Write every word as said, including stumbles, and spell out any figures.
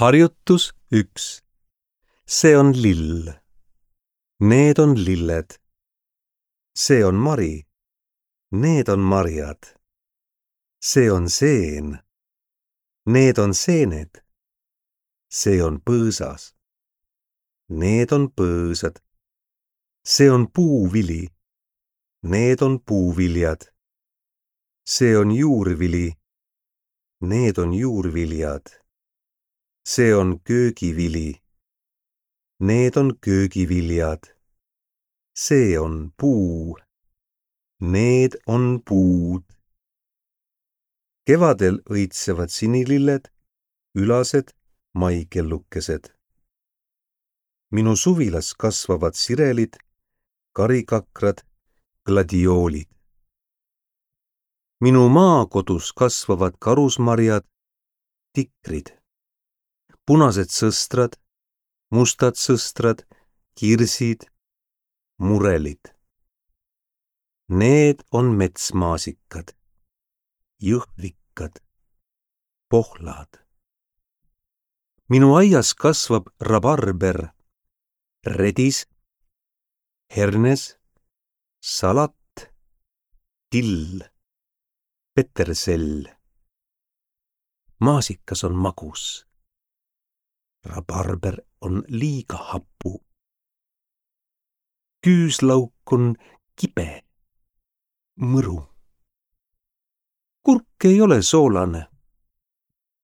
Harjutus üks. See on lill. Need on lilled. See on mari. Need on marjad. See on seen. Need on seened. See on põõsas. Need on põõsad. See on puuvili. Need on puuviljad. See on juurvili. Need on juurviljad. See on köögivili. Need on köögiviljad. See on puu. Need on puud. Kevadel õitsevad sinililled, ülased, maikellukesed. Minu suvilas kasvavad sirelid, karikakrad, gladioolid. Minu maakodus kasvavad karusmarjad, tikrid, punased sõstrad, mustad sõstrad, kirsid, murelid. Need on metsmaasikad, jõhvikad, pohlad. Minu aias kasvab rabarber, redis, hernes, salat, till, petersell. Maasikas on magus. Rabarber on liiga hapu. Küüslauk on kibe, mõru. Kurk ei ole soolane.